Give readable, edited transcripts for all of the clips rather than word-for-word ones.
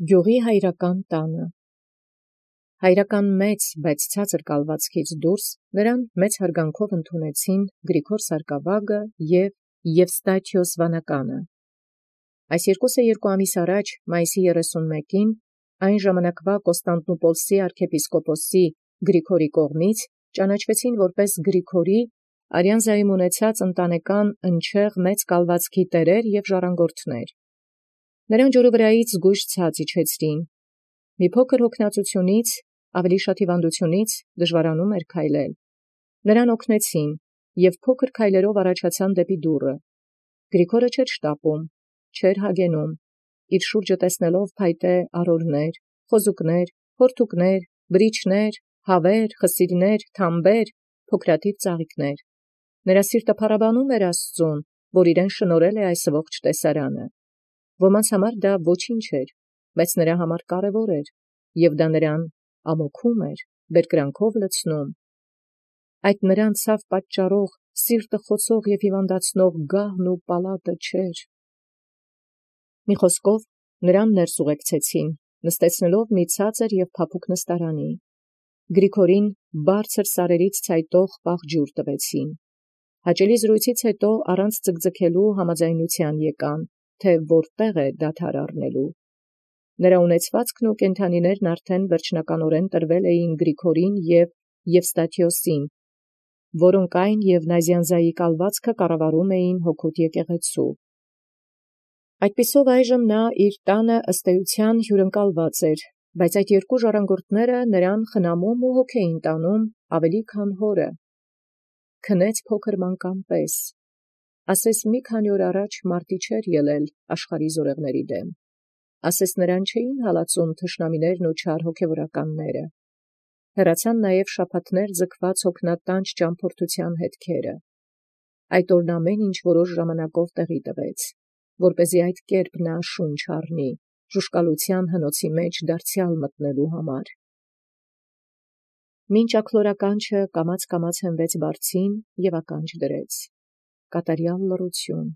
Գյուղի հայրական տանը։ Հայրական մեծ, բայց ցածր կալվածքից դուրս նրան մեծ հարգանքով ընդունեցին Գրիգոր Սարկավագը և Եվստաթիոս Վանականը։ Այս երկուսը 2 ամիս առաջ, մայիսի 31-ին, այն ժամանակվա Կոստանդնուպոլսի arczepiskoposi Գրիգորի կողմից ճանաչվեցին որպես Գրիգորի արյան զայմ ունեցած ընտանեկան ընչեղ մեծ կալվածքի տերեր և ժառանգորդներ։ Նրան ջուրը վրայից զգույշ ցած իջեցրին։ Մի փոքր հոգնածությունից, ավելի շատ հիվանդությունից դժվարանում էր քայլել։ Նրան օգնեցին և փոքր քայլերով առաջացան դեպի դուռը։ Գրիգորը չէր շտապում, չէր հագենում, իր շուրջը տեսնելով փայտե արորներ, խոզուկներ, հորթուկներ, բրիչներ, հավեր, խսիրներ, թամբեր, փոքրաթիվ ծաղիկներ։ Նրա սիրտը փառաբանում էր Աստուծուն, որ իրեն շնորհել է այս ողջ տեսարանը։ Ոմանց համար դա ոչինչ էր, բայց նրա համար կարևոր էր, և դա նրան ամոքում էր, բերկրանքով լցնում։ Այդ նրան ցավ պատճառող, սիրտը խոցող և հիվանդացնող գահն ու պալատը չէր։ Մի խոսքով, նրան ներս ուղեկցեցին, նստեցնելով մի ցածր և փափուկ նստարանի։ Գրիգորին բարձր սարերից ցայտող պաղ ջուր տվեցին։ Հաճելի զրույցից հետո առանց ձգձգելու համաձայնության եկան, թե որտեղ է դադար առնելու։ Նրա ունեցվածքն ու կենդանիներն արդեն վերջնականորեն տրվել էին Գրիգորին և Եվստաթիոսին, որոնք այն և Նազյանզայի կալվածքը կառավարում էին հօգուտ եկեղեցու։ Այդպիսով այժմ նա իր տանը ըստ էության հյուրընկալված էր, բայց այդ 2 ժառանգորդները նրան խնամում ու հոգ էին տանում ավելի քան հորը։ Քնեց փոքր մանկան պես։ Ասես մի քանի օր առաջ մարտի չէր ելել աշխարհի զորեղների դեմ։ Ասես նրան չէին հալածում թշնամիներն ու չար հոգևորականները։ Հեռացան նաև շաբաթներ ձգված հոգնատանչ ճամփորդության հետքերը։ Այդ օրն ամեն ինչ որոշ ժամանակով տեղի տվեց, որպեսզի այդ կերպ նա շունչ առնի, ժուշկալության հնոցի մեջ դարձյալ մտնելու համար։ Մինչ աքլորականչը կամաց հենվեց բարձին և ականջ դրեց։ Կատարյալ լռություն։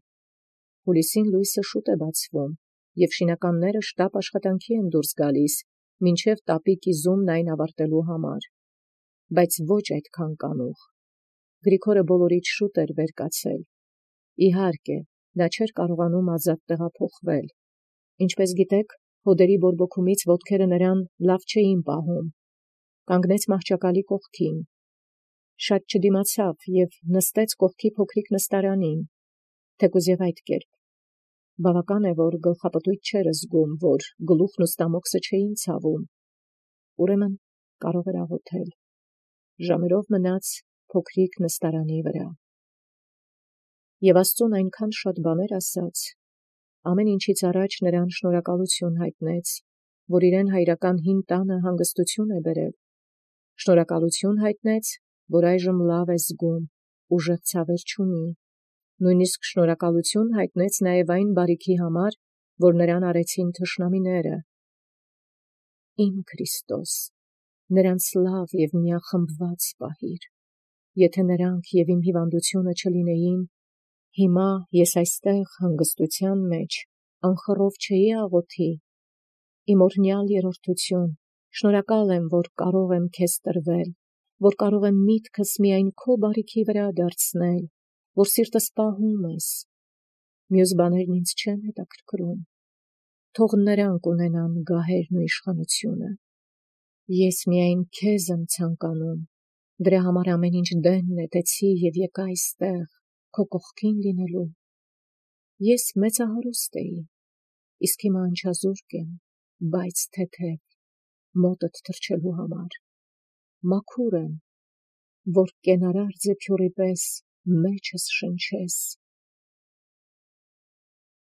Հուլիսին լույսը շուտ է բացվում, և շինականները շտապ աշխատանքի են դուրս գալիս, մինչև տապի կիզումն այն ավարտելու համար։ Բայց ոչ այդքան կանուխ։ Գրիգորը բոլորից շուտ էր վեր կացել։ Իհարկե, նա չէր կարողանում ազատ տեղափոխվել։ Ինչպես գիտեք, հոդերի բորբոքումից ոտքերը նրան լավ չէին պահում։ Կանգնեց մահճակալի կողքին։ Շատ չդիմացավ և նստեց կողքի փոքրիկ նստարանին, թեկուզ և այդ կերպ։ Բավական է, որ գլխապտույտ չէր զգում, որ գլուխն ու ստամոքսը չէին ցավում։ Ուրեմն կարող էր աղոթել։ Ժամերով մնաց փոքրիկ նստարանի վրա։ Եվ Աստծուն այնքան շատ բաներ ասաց, ամեն ինչից առաջ նրան շնորհակալություն հայտնեց, որ իրեն հայրական հին տանը հանգստություն է բերել։ Շնորհակալություն հայտնեց, որ այժմ լավ է զգում, ուժեղ ցավեր չունի։ Նույնիսկ շնորհակալություն հայտնեց նաև այն բարիքի համար, որ նրան արեցին թշնամիները։ Իմ Քրիստոս, նրանց լավ և միախմբված պահիր։ Եթե նրանք և իմ հիվանդությունը չլինեին, հիմա ես այստեղ հանգստության մեջ անխռով չէի աղոթի։ Իմ օրհնյալ երրորդություն, շնորհակալ եմ, որ կարող եմ քեզ տրվել, որ կարող եմ միտքս միայն քո բարիքի վրա դարձնել, որ սիրտս պահում ես։ Մյուս բաներն ինձ չեն հետաքրքրում։ Թող նրանք ունենան գահերն ու իշխանությունը։ Ես միայն քեզ եմ ցանկանում, դրա համար ամեն ինչ դենն նետեցի և եկա այստեղ, քո կողքին լինելու։ Ես մեծահարուստ էի, իսկ հիմա անչազուրկ եմ, բայց թեթև, մոտդ թռչելու համար։ Մաքուր եմ, որ կենարար ձեփյուռի պես մեջս շնչես։